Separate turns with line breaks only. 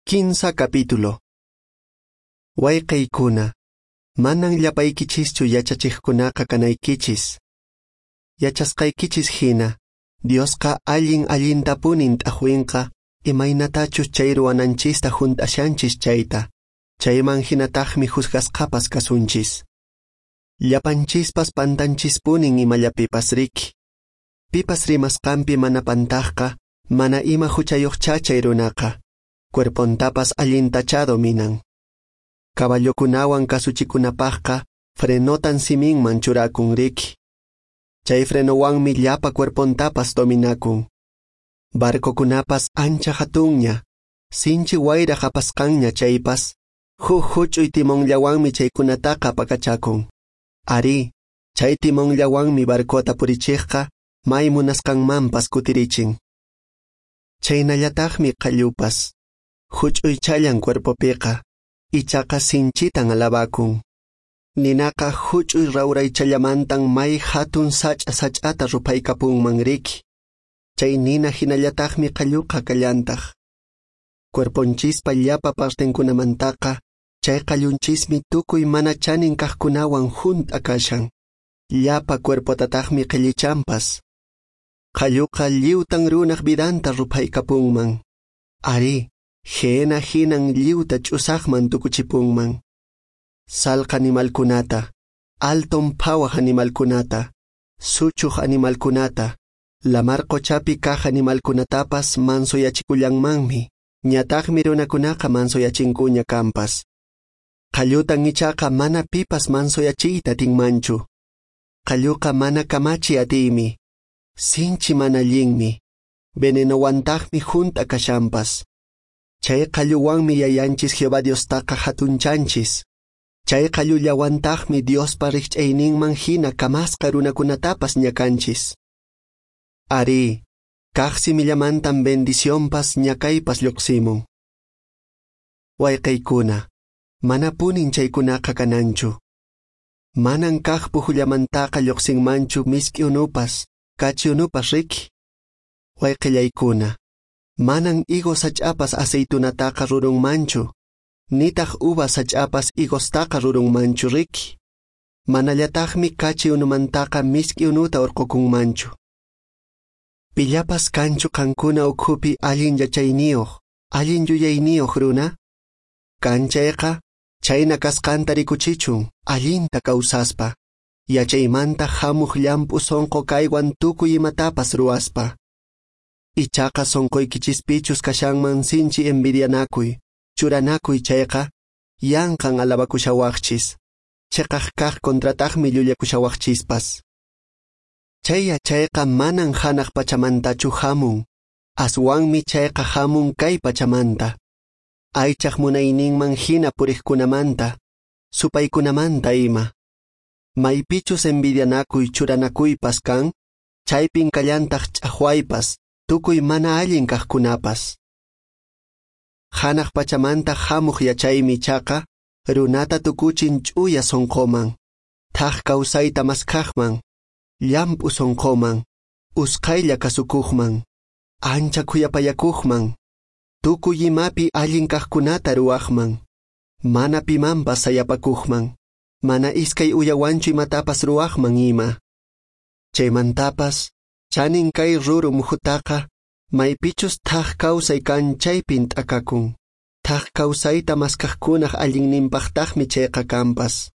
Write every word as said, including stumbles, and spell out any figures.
Kinsa capítulo. Wayqiykuna, manan llapaykichischu yachachiqkunaqa kanaykichis. Yachasqaykichis hina, Diosqa allin allintapunin t'aqwinqa imaynatachus chay ruwananchista hunt'ashanchis chayta, chayman hinataqmi juzgasqapas kasunchis. Llapanchispas pantanchispunin imallapipas riki. Pipas rimasqanpi mana pantaqqa, mana ima huchayuqchá chay runaqa. Cuerpontapas allintachá dominan. Caballokunawan kasuchikunapaqqa frenotan siminman churakun riki. Chay frenowanmi llapa cuerpontapas dominakun. Barcokunapas ancha hatunña, sinchi wayraq apasqanña chaypas, huk huch'uy timonllawanmi chaykunataqa apakachakun. Arí, chay timonllawanmi barcota purichiqqa may munasqanmanpas kutirichin. Chaynallataqmi qallupas. Huch'uychallan cuerpopiqa, ichaqa sinchitan alabakun. Ninaqa huch'uy rawraychallamantan may hatun sach'a sach'ata ruphaykapunman riki. Chay nina hinallataqmi qalluqa kallantaq. Cuerponchispa llapa partenkunamantaqa, chay qallunchismi tukuy mana chanin kaqkunawan hunt'a kashan. Llapa cuerpotataqmi qhillichanpas. Qalluqa lliwtan runaq vidanta ruphaykapunman. Arí, Gehena hinan lliwta ch'usaqman tukuchipunman. Salqa animalkunata, alton phawaq animalkunata, suchuq animalkunata, lamar qochapi kaq animalkunatapas mansoyachikullanmanmi, ñataqmi runakunaqa mansoyachinkuña kanpas. Qallutan ichaqa mana pipas mansoyachiyta atinmanchu. Qalluqa mana kamachi atiymi, sinchi mana allinmi, venenowantaqmi hunt'a kashanpas. Chay qalluwanmi yayanchis Jehová Diostaqa hatunchanchis. Chay qallullawantaqmi Diospa rikch'ayninman hina kamasqa runakunatapas ñakanchis. Arí, kaq simillamantan bendicionpas ñakaypas lluqsimun. Wayqiykuna, manapunin chaykunaqa kananchu. Manan kaq puhullamantaqa lluqsinmanchu misk'i unupas, kachi unupas riki. Wayqillaykuna, manan higo sach'apas aceitunataqa rurunmanchu, nitaq uva sach'apas higostaqa rurunmanchu riki. Manallataqmi kachi unumantaqa misk'i unuta urqukunmanchu. Pillapas kanchu qankuna ukhupi allin yachayniyuq, allin yuyayniyuq runa? Kan chayqa, chayna kasqanta rikuchichun, allinta kawsaspa, yachaymanta hamuq llamp'u sunqu kaywan tukuy imatapas ruwaspa. Ichaqa sunquykichispichus kashanman sinchi envidianakuy, churanakuy chayqa, yanqan alabakushawaqchis, chiqaq kaq contrataqmi llullakushawaqchispas. Chay yachayqa manan hanaq pachamantachu hamun, aswanmi chayqa hamun kay pachamanta, aychaq munayninman hina puriqkunamanta, supaykunamanta ima. Maypichus envidianakuy churanakuypas kan, chaypin kallantaq ch'aqwaypas, tukuy mana allin kaqkunapas. Hanaq pachamanta hamuq yachaymi ichaqa, runata tukuchin ch'uya sunquman, thaq kawsayta maskhaqman, llamp'u sunquman, usqhaylla kasukuqman, ancha khuyapayakuqman, tukuy imapi allin kaqkunata ruwaqman, mana pimanpas sayapakuqman, mana iskay uyawanchu imatapas ruwaqman ima. Chaymantapas, chanin kay ruru muhutaqa, maypichus thaq kawsay kan chaypin t'akakun, thaq kawsayta maskhaqkunaq allinninpaqtaqmi chayqa kanpas.